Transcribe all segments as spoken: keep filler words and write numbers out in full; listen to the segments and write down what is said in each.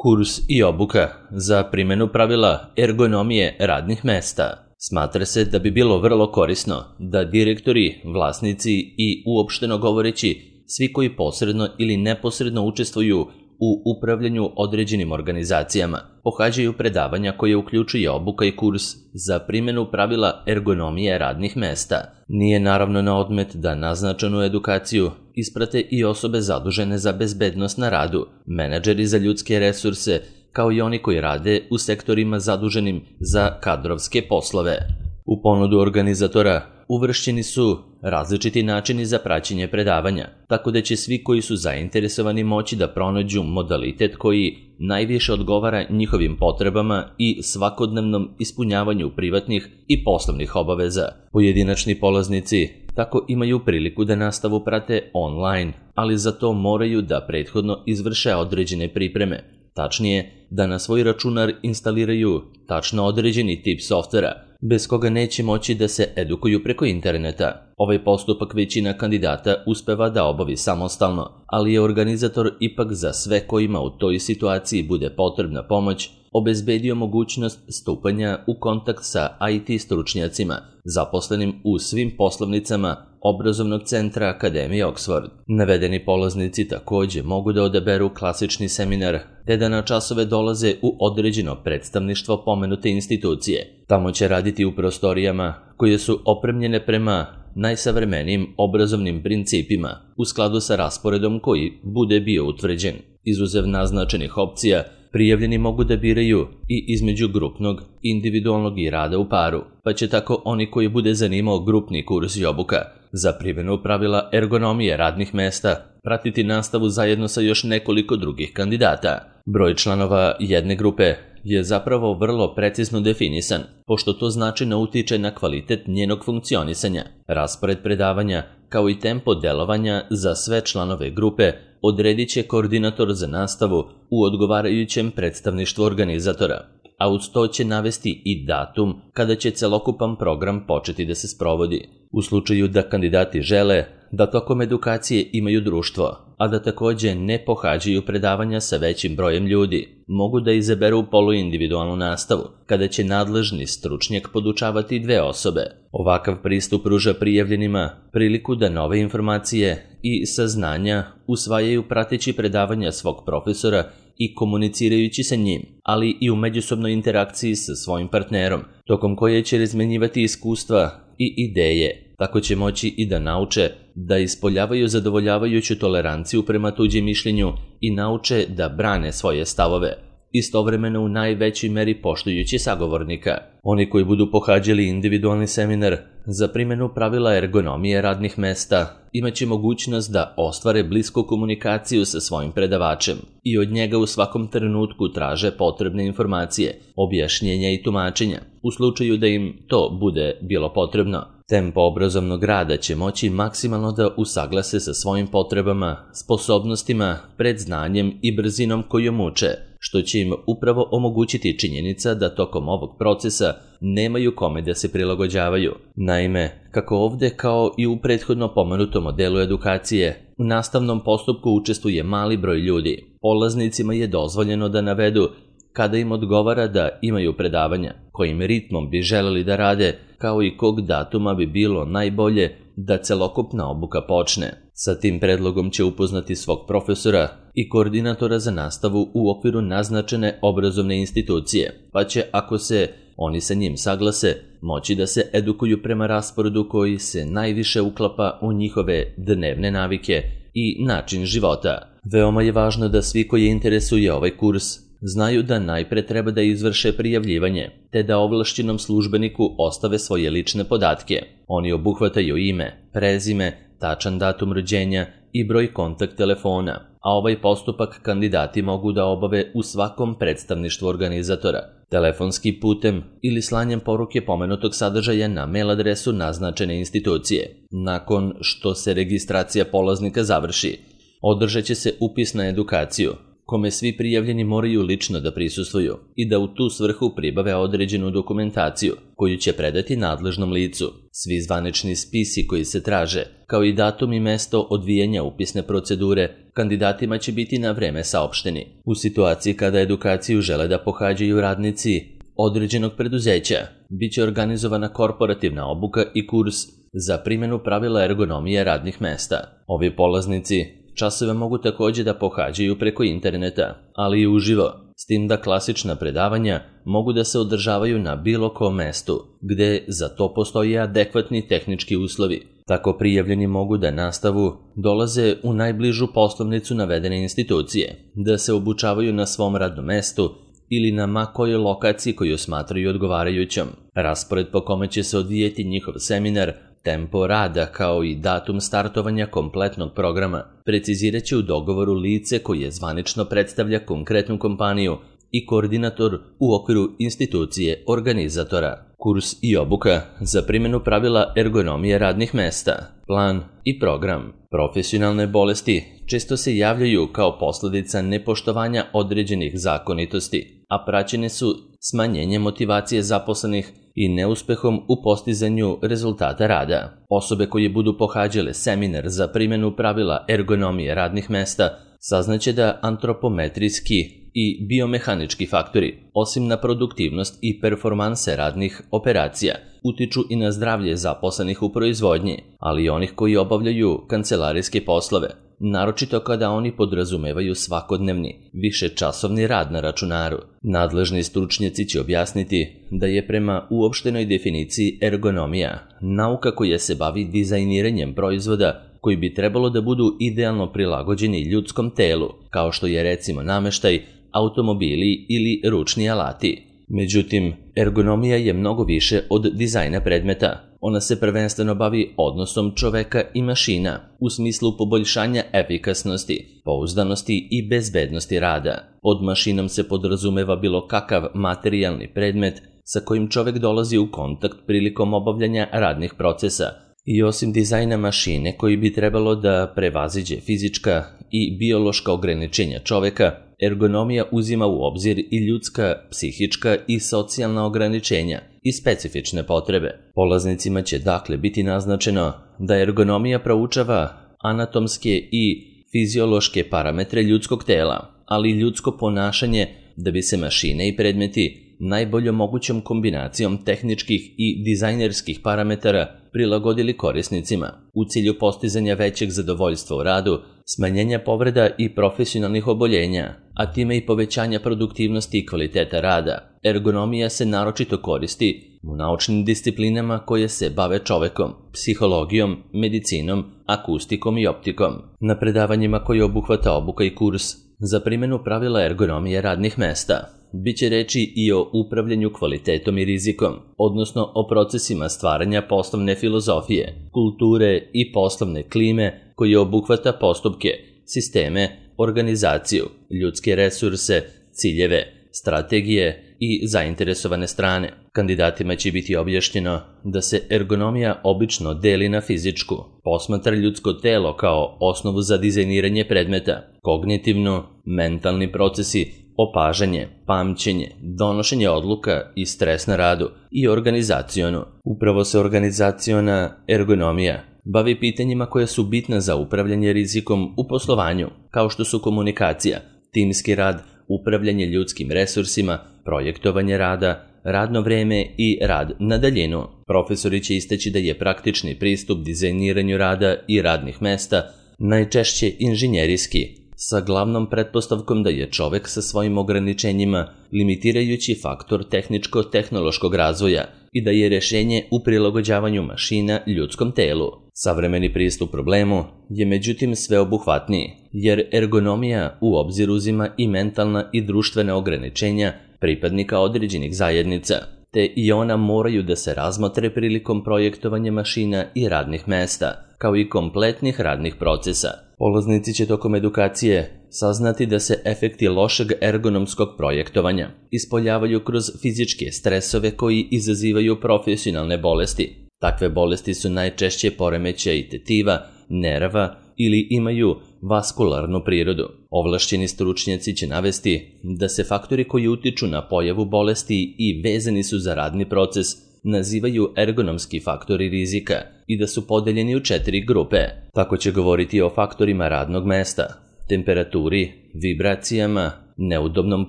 Kurs i obuka za primjenu pravila ergonomije radnih mesta. Smatra se da bi bilo vrlo korisno da direktori, vlasnici i uopšteno govoreći svi koji posredno ili neposredno učestvuju u upravljanju određenim organizacijama pohađaju predavanja koje uključuje obuka i kurs za primjenu pravila ergonomije radnih mesta. Nije naravno na odmet da naznačenu edukaciju isprate i osobe zadužene za bezbednost na radu, menadžeri za ljudske resurse, kao i oni koji rade u sektorima zaduženim za kadrovske poslove. U ponudu organizatora uvršćeni su različiti načini za praćenje predavanja, tako da će svi koji su zainteresovani moći da pronađu modalitet koji najviše odgovara njihovim potrebama i svakodnevnom ispunjavanju privatnih i poslovnih obaveza. Pojedinačni polaznici tako imaju priliku da nastavu prate online, ali za to moraju da prethodno izvrše određene pripreme. Tačnije, da na svoj računar instaliraju tačno određeni tip softvera, bez koga neće moći da se edukuju preko interneta. Ovaj postupak većina kandidata uspeva da obavi samostalno, ali je organizator ipak za sve kojima u toj situaciji bude potrebna pomoć obezbedio mogućnost stupanja u kontakt sa I T stručnjacima, zaposlenim u svim poslovnicama obrazovnog centra Akademije Oxford. Navedeni polaznici takođe mogu da odaberu klasični seminar, te da na časove dolaze u određeno predstavništvo pomenute institucije. Tamo će raditi u prostorijama koje su opremljene prema najsavremenijim obrazovnim principima u skladu sa rasporedom koji bude bio utvrđen. Izuzev naznačenih opcija, prijavljeni mogu da biraju i između grupnog, individualnog i rada u paru, pa će tako oni koji bude zanimao grupni kurs i obuka za primjenu pravila ergonomije radnih mesta pratiti nastavu zajedno sa još nekoliko drugih kandidata. Broj članova jedne grupe je zapravo vrlo precizno definisan, pošto to značajno utiče na kvalitet njenog funkcionisanja. Raspored predavanja, kao i tempo delovanja za sve članove grupe, odredit će koordinator za nastavu u odgovarajućem predstavništvu organizatora, a uz to će navesti i datum kada će celokupan program početi da se sprovodi. U slučaju da kandidati žele da tokom edukacije imaju društvo, a da takođe ne pohađaju predavanja sa većim brojem ljudi, mogu da izaberu poluindividualnu nastavu, kada će nadležni stručnjak podučavati dve osobe. Ovakav pristup pruža prijavljenima priliku da nove informacije i saznanja usvajaju prateći predavanja svog profesora i komunicirajući sa njim, ali i u međusobnoj interakciji sa svojim partnerom, tokom koje će razmenjivati iskustva i ideje. Tako će moći i da nauče da ispoljavaju zadovoljavajuću toleranciju prema tuđem mišljenju i nauče da brane svoje stavove, istovremeno u najvećoj meri poštujući sagovornika. Oni koji budu pohađali individualni seminar za primjenu pravila ergonomije radnih mesta imaće mogućnost da ostvare blisku komunikaciju sa svojim predavačem i od njega u svakom trenutku traže potrebne informacije, objašnjenja i tumačenja, u slučaju da im to bude bilo potrebno. Tempo obrazovnog rada će moći maksimalno da usaglase sa svojim potrebama, sposobnostima, predznanjem i brzinom kojom uče, što će im upravo omogućiti činjenica da tokom ovog procesa nemaju kome da se prilagođavaju. Naime, kako ovde kao i u prethodno pomenutom modelu edukacije, u nastavnom postupku učestvuje mali broj ljudi. Polaznicima je dozvoljeno da navedu kada im odgovara da imaju predavanja, kojim ritmom bi želeli da rade, kao i kog datuma bi bilo najbolje da celokupna obuka počne. Sa tim predlogom će upoznati svog profesora i koordinatora za nastavu u okviru naznačene obrazovne institucije, pa će, ako se oni sa njim saglase, moći da se edukuju prema rasporedu koji se najviše uklapa u njihove dnevne navike i način života. Veoma je važno da svi koji interesuje ovaj kurs znaju da najpre treba da izvrše prijavljivanje, te da ovlašćenom službeniku ostave svoje lične podatke. Oni obuhvataju ime, prezime, tačan datum rođenja i broj kontakt telefona, a ovaj postupak kandidati mogu da obave u svakom predstavništvu organizatora, telefonskim putem ili slanjem poruke pomenutog sadržaja na mail adresu naznačene institucije. Nakon što se registracija polaznika završi, održat će se upis na edukaciju, kome svi prijavljeni moraju lično da prisustvuju i da u tu svrhu pribave određenu dokumentaciju koju će predati nadležnom licu. Svi zvanični spisi koji se traže, kao i datum i mesto odvijanja upisne procedure, kandidatima će biti na vreme saopšteni. U situaciji kada edukaciju žele da pohađaju radnici određenog preduzeća, bit će organizovana korporativna obuka i kurs za primjenu pravila ergonomije radnih mesta. Ovi polaznici časove mogu također da pohađaju preko interneta, ali i uživo, s tim da klasična predavanja mogu da se održavaju na bilo kom mestu, gde za to postoje adekvatni tehnički uslovi. Tako prijavljeni mogu da nastavu dolaze u najbližu poslovnicu navedene institucije, da se obučavaju na svom radnom mestu ili na ma kojoj lokaciji koju smatraju odgovarajućom. Raspored po kome će se odvijeti njihov seminar, tempo rada kao i datum startovanja kompletnog programa precizirat će u dogovoru lice koje zvanično predstavlja konkretnu kompaniju i koordinator u okviru institucije organizatora. Kurs i obuka za primjenu pravila ergonomije radnih mesta, plan i program. Profesionalne bolesti često se javljaju kao posljedica nepoštovanja određenih zakonitosti, a praćene su smanjenjem motivacije zaposlenih i neuspehom u postizanju rezultata rada. Osobe koje budu pohađale seminar za primjenu pravila ergonomije radnih mesta saznaće da antropometrijski i biomehanički faktori, osim na produktivnost i performanse radnih operacija, utiču i na zdravlje zaposlenih u proizvodnji, ali i onih koji obavljaju kancelarijske poslove, naročito kada oni podrazumevaju svakodnevni, višečasovni rad na računaru. Nadležni stručnjaci će objasniti da je prema uopštenoj definiciji ergonomija nauka koja se bavi dizajniranjem proizvoda koji bi trebalo da budu idealno prilagođeni ljudskom telu, kao što je recimo nameštaj, automobili ili ručni alati. Međutim, ergonomija je mnogo više od dizajna predmeta. Ona se prvenstveno bavi odnosom čoveka i mašina u smislu poboljšanja efikasnosti, pouzdanosti i bezbednosti rada. Pod mašinom se podrazumeva bilo kakav materijalni predmet sa kojim čovek dolazi u kontakt prilikom obavljanja radnih procesa. I osim dizajna mašine koji bi trebalo da prevaziđe fizička i biološka ograničenja čoveka, ergonomija uzima u obzir i ljudska, psihička i socijalna ograničenja i specifične potrebe. Polaznicima će dakle biti naznačeno da ergonomija proučava anatomske i fiziološke parametre ljudskog tela, ali i ljudsko ponašanje da bi se mašine i predmeti najboljom mogućom kombinacijom tehničkih i dizajnerskih parametara prilagodili korisnicima u cilju postizanja većeg zadovoljstva u radu, smanjenja povreda i profesionalnih oboljenja, a time i povećanja produktivnosti i kvaliteta rada. Ergonomija se naročito koristi u naučnim disciplinama koje se bave čovekom, psihologijom, medicinom, akustikom i optikom. Na predavanjima koje obuhvata obuka i kurs za primjenu pravila ergonomije radnih mesta biće reči i o upravljanju kvalitetom i rizikom, odnosno o procesima stvaranja poslovne filozofije, kulture i poslovne klime koje obuhvata postupke, sisteme, organizaciju, ljudske resurse, ciljeve, strategije i zainteresovane strane. Kandidatima će biti objašnjeno da se ergonomija obično deli na fizičku, posmatra ljudsko telo kao osnovu za dizajniranje predmeta, kognitivno, mentalni procesi, opažanje, pamćenje, donošenje odluka i stres na radu i organizacionu. Upravo se organizaciona ergonomija bavi pitanjima koje su bitne za upravljanje rizikom u poslovanju, kao što su komunikacija, timski rad, upravljanje ljudskim resursima, projektovanje rada, radno vreme i rad na daljinu. Profesori će istaći da je praktični pristup dizajniranju rada i radnih mesta najčešće inženjerijski, sa glavnom pretpostavkom da je čovek sa svojim ograničenjima limitirajući faktor tehničko-tehnološkog razvoja i da je rešenje u prilagođavanju mašina ljudskom telu. Savremeni pristup problemu je međutim sveobuhvatniji, jer ergonomija u obzir uzima i mentalna i društvena ograničenja pripadnika određenih zajednica, te i ona moraju da se razmotre prilikom projektovanja mašina i radnih mesta, kao i kompletnih radnih procesa. Polaznici će tokom edukacije saznati da se efekti lošeg ergonomskog projektovanja ispoljavaju kroz fizičke stresove koji izazivaju profesionalne bolesti. Takve bolesti su najčešće poremećaj tetiva, nerva ili imaju vaskularnu prirodu. Ovlašćeni stručnjaci će navesti da se faktori koji utiču na pojavu bolesti i vezani su za radni proces nazivaju ergonomski faktori rizika i da su podeljeni u četiri grupe. Tako će govoriti o faktorima radnog mesta, temperaturi, vibracijama, neudobnom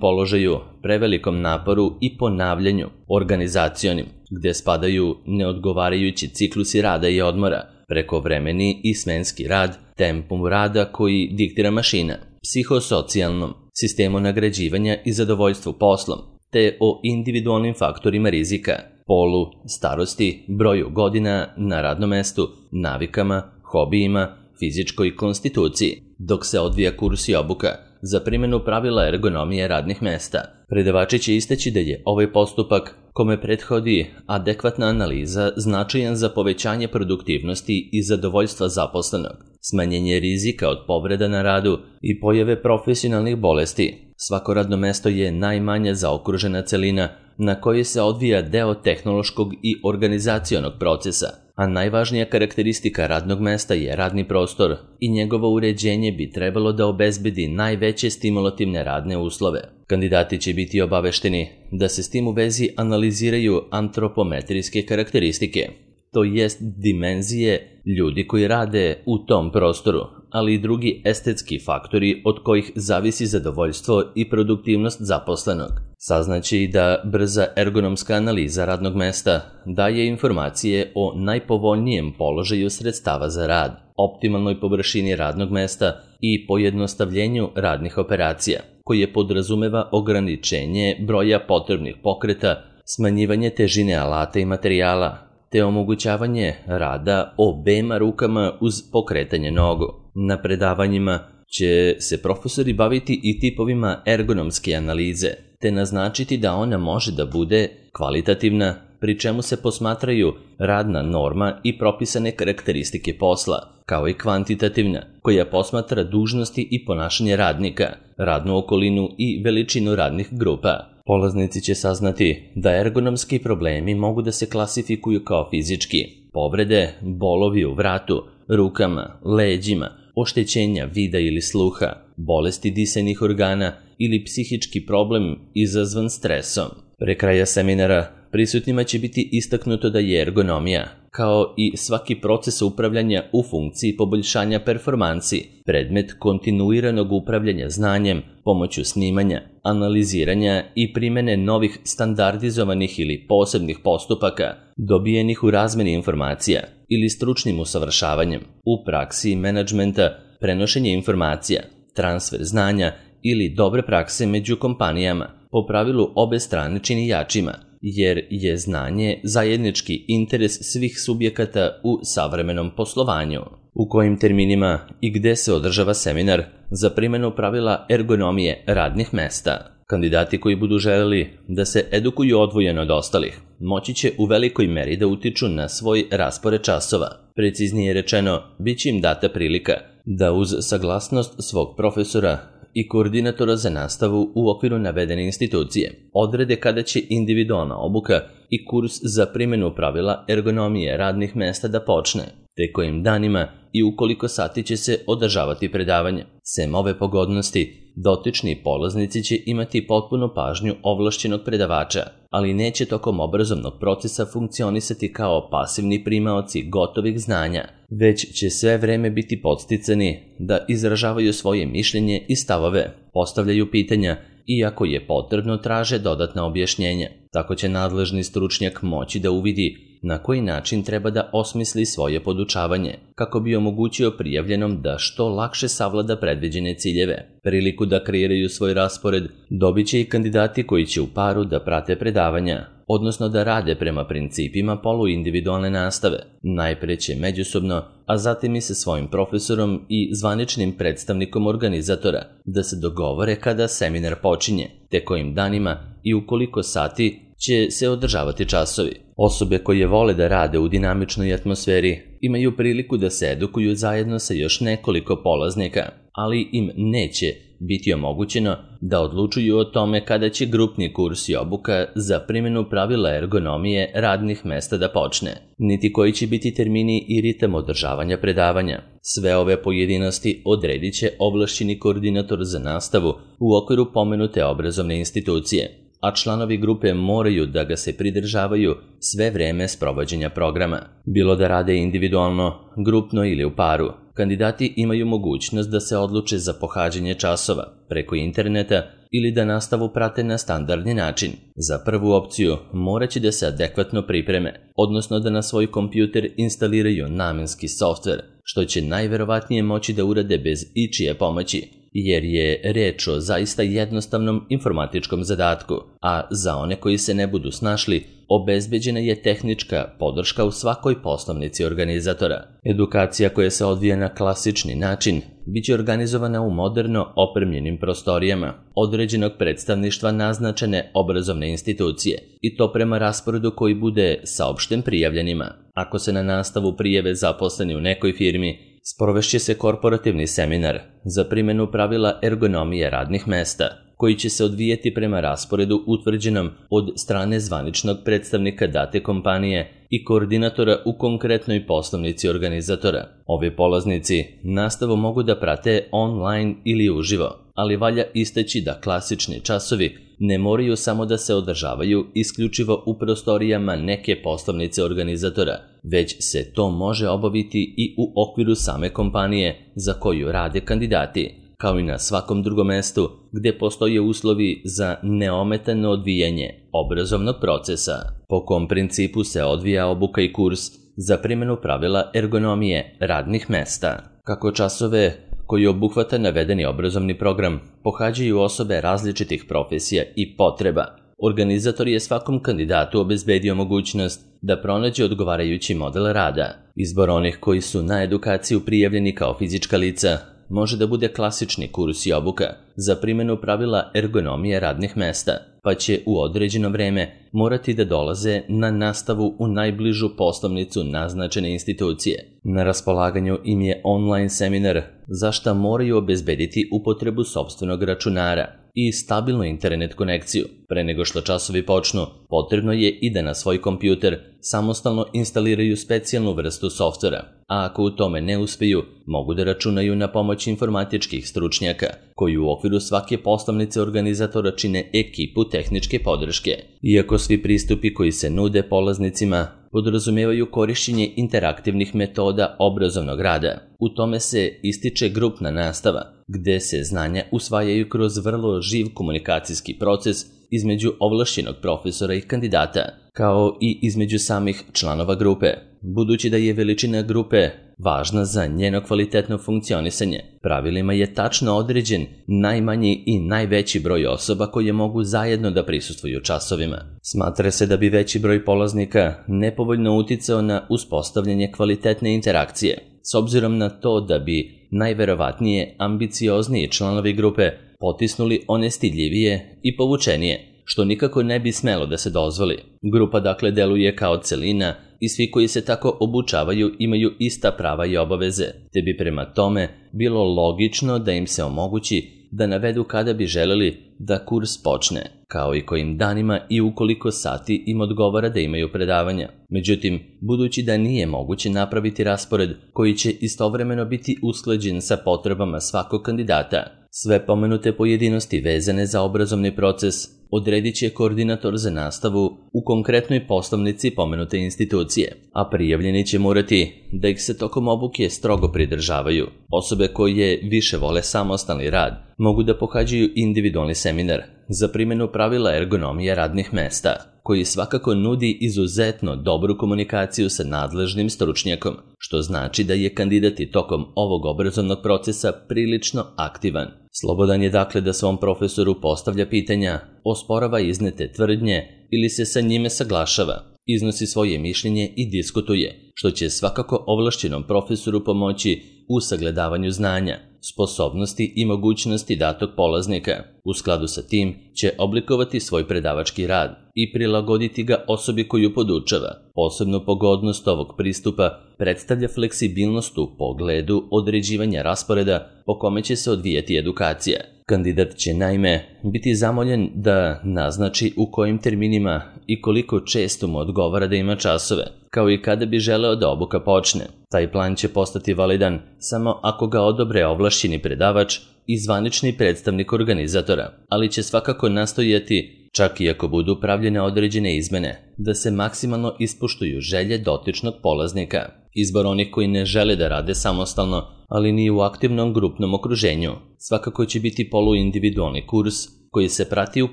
položaju, prevelikom naporu i ponavljanju, organizacionim, gde spadaju neodgovarajući ciklusi rada i odmora, prekovremeni i smenski rad, tempom rada koji diktira mašina, psihosocijalnom, sistemu nagrađivanja i zadovoljstvu poslom, te o individualnim faktorima rizika, polu, starosti, broju godina na radnom mestu, navikama, hobijima, fizičkoj konstituciji, dok se odvija kurs i obuka za primjenu pravila ergonomije radnih mesta. Predavači će istaći da je ovaj postupak, kome prethodi adekvatna analiza, značajan za povećanje produktivnosti i zadovoljstva zaposlenog, smanjenje rizika od povreda na radu i pojave profesionalnih bolesti. Svako radno mesto je najmanje zaokružena celina na kojoj se odvija deo tehnološkog i organizacionog procesa, a najvažnija karakteristika radnog mesta je radni prostor i njegovo uređenje bi trebalo da obezbedi najveće stimulativne radne uslove. Kandidati će biti obavešteni da se s tim u vezi analiziraju antropometrijske karakteristike, to jest dimenzije ljudi koji rade u tom prostoru, ali i drugi estetski faktori od kojih zavisi zadovoljstvo i produktivnost zaposlenog. Saznaće i da brza ergonomska analiza radnog mesta daje informacije o najpovoljnijem položaju sredstava za rad, optimalnoj površini radnog mesta i pojednostavljenju radnih operacija, koje podrazumeva ograničenje broja potrebnih pokreta, smanjivanje težine alata i materijala, te omogućavanje rada obema rukama uz pokretanje nogu. Na predavanjima će se profesori baviti i tipovima ergonomske analize, te naznačiti da ona može da bude kvalitativna, pri čemu se posmatraju radna norma i propisane karakteristike posla, kao i kvantitativna, koja posmatra dužnosti i ponašanje radnika, radnu okolinu i veličinu radnih grupa. Polaznici će saznati da ergonomski problemi mogu da se klasifikuju kao fizički, povrede, bolovi u vratu, rukama, leđima, oštećenja vida ili sluha, bolesti disajnih organa ili psihički problem izazvan stresom. Pre kraja seminara prisutnima će biti istaknuto da je ergonomija, kao i svaki proces upravljanja u funkciji poboljšanja performansi, predmet kontinuiranog upravljanja znanjem pomoću snimanja, analiziranja i primene novih standardizovanih ili posebnih postupaka, dobijenih u razmeni informacija ili stručnim usavršavanjem, u praksi menadžmenta, prenošenje informacija, transfer znanja ili dobre prakse među kompanijama, po pravilu obe strane čini jačima, jer je znanje zajednički interes svih subjekata u savremenom poslovanju. U kojim terminima i gde se održava seminar za primjenu pravila ergonomije radnih mesta? Kandidati koji budu želeli da se edukuju odvojeno od ostalih, moći će u velikoj meri da utiču na svoj raspored časova. Preciznije rečeno, bit će im data prilika da uz saglasnost svog profesora i koordinatora za nastavu u okviru navedene institucije odrede kada će individualna obuka i kurs za primjenu pravila ergonomije radnih mesta da počne, te kojim danima i u koliko sati će se održavati predavanje. Sem ove pogodnosti, dotični polaznici će imati potpunu pažnju ovlašćenog predavača, ali neće tokom obrazovnog procesa funkcionisati kao pasivni primaoci gotovih znanja, već će sve vreme biti podsticani da izražavaju svoje mišljenje i stavove, postavljaju pitanja i ako je potrebno traže dodatna objašnjenja. Tako će nadležni stručnjak moći da uvidi na koji način treba da osmisli svoje podučavanje, kako bi omogućio prijavljenom da što lakše savlada predviđene ciljeve. Priliku da kreiraju svoj raspored dobit će i kandidati koji će u paru da prate predavanja, odnosno da rade prema principima poluindividualne nastave, najpre će međusobno, a zatim i sa svojim profesorom i zvaničnim predstavnikom organizatora, da se dogovore kada seminar počinje, te kojim danima i u koliko sati će se održavati časovi. Osobe koje vole da rade u dinamičnoj atmosferi imaju priliku da se edukuju zajedno sa još nekoliko polaznika, ali im neće biti omogućeno da odlučuju o tome kada će grupni kurs i obuka za primjenu pravila ergonomije radnih mesta da počne, niti koji će biti termini i ritam održavanja predavanja. Sve ove pojedinosti odredit će ovlašćeni koordinator za nastavu u okviru pomenute obrazovne institucije, a članovi grupe moraju da ga se pridržavaju sve vreme sprovođenja programa. Bilo da rade individualno, grupno ili u paru, kandidati imaju mogućnost da se odluče za pohađanje časova preko interneta ili da nastavu prate na standardni način. Za prvu opciju morat će da se adekvatno pripreme, odnosno da na svoj kompjuter instaliraju namenski softver, što će najverovatnije moći da urade bez ičije pomoći, jer je reč o zaista jednostavnom informatičkom zadatku, a za one koji se ne budu snašli, obezbeđena je tehnička podrška u svakoj poslovnici organizatora. Edukacija koja se odvija na klasični način biće organizovana u moderno opremljenim prostorijama određenog predstavništva naznačene obrazovne institucije, i to prema rasporedu koji bude saopšten prijavljenima. Ako se na nastavu prijave zaposleni u nekoj firmi, sprovešće se korporativni seminar za primjenu pravila ergonomije radnih mesta, koji će se odvijeti prema rasporedu utvrđenom od strane zvaničnog predstavnika date kompanije i koordinatora u konkretnoj poslovnici organizatora. Ovi polaznici nastavu mogu da prate online ili uživo, ali valja istaći da klasični časovi ne moraju samo da se održavaju isključivo u prostorijama neke poslovnice organizatora, već se to može obaviti i u okviru same kompanije za koju rade kandidati, kao i na svakom drugom mestu gde postoje uslovi za neometano odvijanje obrazovnog procesa. Po kom principu se odvija obuka i kurs za primjenu pravila ergonomije radnih mesta. Kako časove koji obuhvata navedeni obrazovni program pohađaju osobe različitih profesija i potreba, organizator je svakom kandidatu obezbedio mogućnost da pronađe odgovarajući model rada. Izbor onih koji su na edukaciju prijavljeni kao fizička lica može da bude klasični kurs i obuka za primjenu pravila ergonomije radnih mesta, pa će u određeno vreme morati da dolaze na nastavu u najbližu poslovnicu naznačene institucije. Na raspolaganju im je online seminar, za šta moraju obezbediti upotrebu sopstvenog računara i stabilnu internet konekciju. Pre nego što časovi počnu, potrebno je i da na svoj kompjuter samostalno instaliraju specijalnu vrstu softvera, a ako u tome ne uspeju, mogu da računaju na pomoć informatičkih stručnjaka, koji u okviru svake poslovnice organizatora čine ekipu tehničke podrške. Iako svi pristupi koji se nude polaznicima podrazumevaju korišćenje interaktivnih metoda obrazovnog rada, u tome se ističe grupna nastava, gde se znanja usvajaju kroz vrlo živ komunikacijski proces između ovlašćenog profesora i kandidata, kao i između samih članova grupe. Budući da je veličina grupe važna za njeno kvalitetno funkcionisanje, pravilima je tačno određen najmanji i najveći broj osoba koje mogu zajedno da prisustvuju časovima. Smatra se da bi veći broj polaznika nepovoljno uticao na uspostavljanje kvalitetne interakcije, s obzirom na to da bi najverovatnije ambiciozniji članovi grupe potisnuli one stidljivije i povučenije, što nikako ne bi smelo da se dozvoli. Grupa dakle deluje kao celina i svi koji se tako obučavaju imaju ista prava i obaveze, te bi prema tome bilo logično da im se omogući da navedu kada bi želeli da kurs počne, kao i kojim danima i ukoliko sati im odgovara da imaju predavanja. Međutim, budući da nije moguće napraviti raspored koji će istovremeno biti usklađen sa potrebama svakog kandidata, sve pomenute pojedinosti vezane za obrazovni proces odredit će koordinator za nastavu u konkretnoj poslovnici pomenute institucije, a prijavljeni će morati da ih se tokom obuke strogo pridržavaju. Osobe koje više vole samostalni rad mogu da pohađaju individualni seminar za primjenu pravila ergonomije radnih mesta, koji svakako nudi izuzetno dobru komunikaciju sa nadležnim stručnjakom, što znači da je kandidat i tokom ovog obrazovnog procesa prilično aktivan. Slobodan je dakle da svom profesoru postavlja pitanja, osporava iznete tvrdnje ili se sa njime saglašava, iznosi svoje mišljenje i diskutuje, što će svakako ovlašćenom profesoru pomoći u sagledavanju znanja, sposobnosti i mogućnosti datog polaznika. U skladu sa tim će oblikovati svoj predavački rad i prilagoditi ga osobi koju podučava. Posebnu pogodnost ovog pristupa predstavlja fleksibilnost u pogledu određivanja rasporeda po kome će se odvijati edukacija. Kandidat će naime biti zamoljen da naznači u kojim terminima i koliko često mu odgovara da ima časove, kao i kada bi želeo da obuka počne. Taj plan će postati validan samo ako ga odobre ovlašćeni predavač i zvanični predstavnik organizatora, ali će svakako nastojati, čak i ako budu pravljene određene izmene, da se maksimalno ispoštuju želje dotičnog polaznika. Izbor onih koji ne žele da rade samostalno, ali ni u aktivnom grupnom okruženju, svakako će biti poluindividualni kurs koji se prati u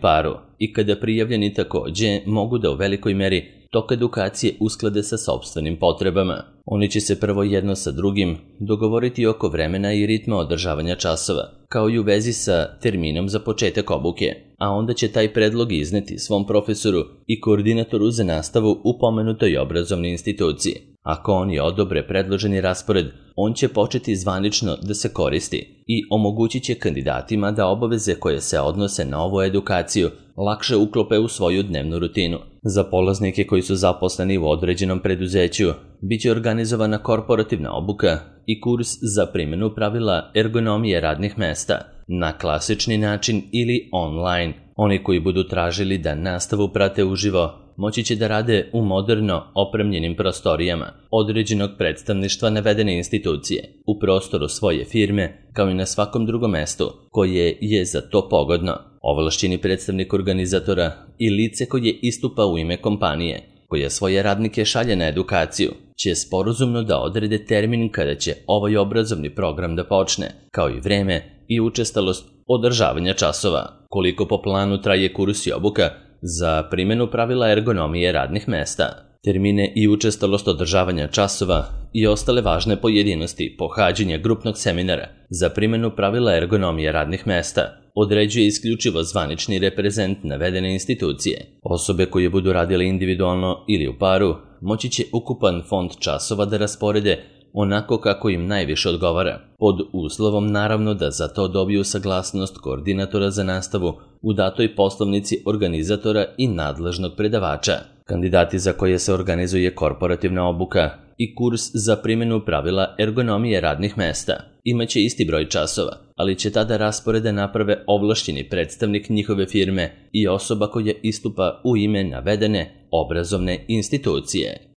paru i kada prijavljeni takođe mogu da u velikoj meri tok edukacije usklade sa sopstvenim potrebama. Oni će se prvo jedno sa drugim dogovoriti oko vremena i ritma održavanja časova, kao i u vezi sa terminom za početak obuke, a onda će taj predlog izneti svom profesoru i koordinatoru za nastavu u pomenutoj obrazovnoj instituciji. Ako oni odobre predloženi raspored, on će početi zvanično da se koristi i omogućit će kandidatima da obaveze koje se odnose na ovu edukaciju lakše uklope u svoju dnevnu rutinu. Za polaznike koji su zaposleni u određenom preduzeću, bit će organizovana korporativna obuka i kurs za primjenu pravila ergonomije radnih mesta na klasični način ili online. Oni koji budu tražili da nastavu prate uživo, moći će da rade u moderno opremljenim prostorijama određenog predstavništva navedene institucije, u prostoru svoje firme, kao i na svakom drugom mestu koje je za to pogodno. Ovlašćeni predstavnik organizatora i lice koje istupa u ime kompanije, koja svoje radnike šalje na edukaciju, će sporazumno da odrede termin kada će ovaj obrazovni program da počne, kao i vreme i učestalost održavanja časova. Koliko po planu traje kurs i obuka za primjenu pravila ergonomije radnih mesta, termine i učestalost održavanja časova i ostale važne pojedinosti pohađanja grupnog seminara za primjenu pravila ergonomije radnih mesta određuje isključivo zvanični reprezent navedene institucije. Osobe koje budu radile individualno ili u paru moći će ukupan fond časova da rasporede onako kako im najviše odgovara, pod uslovom naravno da za to dobiju saglasnost koordinatora za nastavu u datoj poslovnici organizatora i nadležnog predavača. Kandidati za koje se organizuje korporativna obuka i kurs za primjenu pravila ergonomije radnih mesta imaće isti broj časova, ali će tada rasporede naprave ovlašćeni predstavnik njihove firme i osoba koja istupa u ime navedene obrazovne institucije.